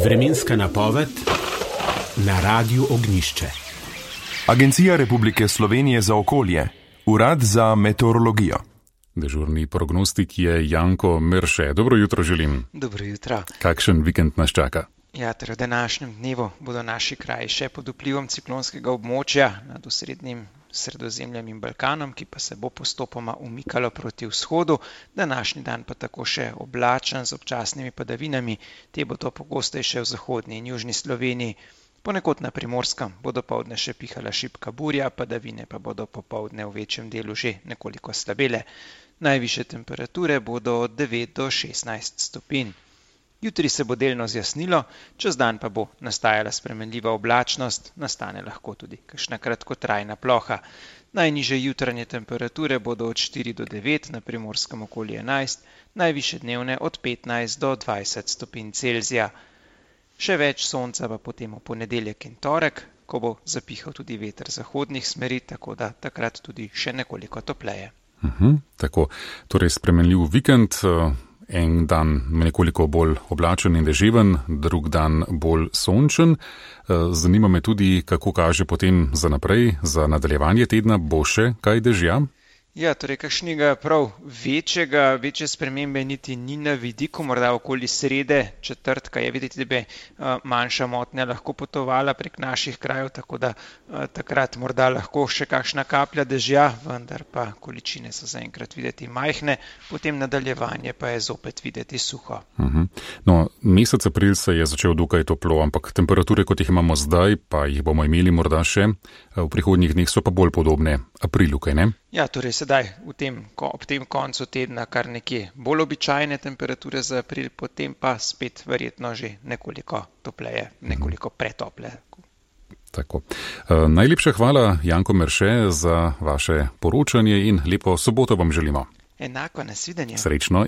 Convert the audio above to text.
Vremenska napoved na Radiu Ognjišče. Agencija Republike Slovenije za okolje, Urad za meteorologijo. Dežurni prognostik je Janko Merše. Dobro jutro želim. Dobro jutro. Kakšen vikend nas čaka? Ja, v današnjem dnevu bodo naši kraji še pod vplivom ciklonskega območja nad osrednjim Sredozemljem in Balkanom, ki pa se bo postopoma umikalo proti vzhodu. Današnji dan pa tako še oblačen z občasnimi padavinami, te bodo pogostejše v zahodni in južni Sloveniji. Ponekod na Primorskem bo dopoldne še pihala šibka burja, padavine pa bodo popoldne v večjem delu že nekoliko slabele. Najvišje temperature bodo od 9 do 16 stopinj. Jutri se bo delno zjasnilo, čez dan pa bo nastajala spremenljiva oblačnost, nastane lahko tudi kakšna kratkotrajna ploha. Najnižje jutranje temperature bodo od 4 do 9, na Primorskem okoli 11, najvišje dnevne od 15 do 20 stopinj Celzija. Še več sonca pa potem v ponedeljek in torek, ko bo zapihal tudi veter zahodnih smeri, tako da takrat tudi še nekoliko topleje. Tako, torej spremenljiv vikend. En dan nekoliko bolj oblačen in deževen, drug dan bolj sončen. Zanima me tudi, kako kaže potem za naprej, za nadaljevanje tedna, bo še kaj dežja? Ja, torej kakšnega prav večje spremembe niti ni na vidiku, morda okoli srede, četrtka je videti, da bi manjša motnja lahko potovala prek naših krajev, tako da takrat morda lahko še kakšna kaplja dežja, vendar pa količine so zaenkrat videti majhne, potem nadaljevanje pa je zopet videti suho. No, mesec april se je začel dokaj toplo, ampak temperature, kot jih imamo zdaj, pa jih bomo imeli morda še v prihodnjih dneh, so pa bolj podobne aprilu, kaj ne? Ja, torej sedaj ob tem koncu tedna kar nekje bolj običajne temperature za april, potem pa spet verjetno že nekoliko topleje, nekoliko pretople. Tako. Najlepša hvala, Janko Merše, za vaše poročanje in lepo soboto vam želimo. Enako, nasvidenje. Srečno.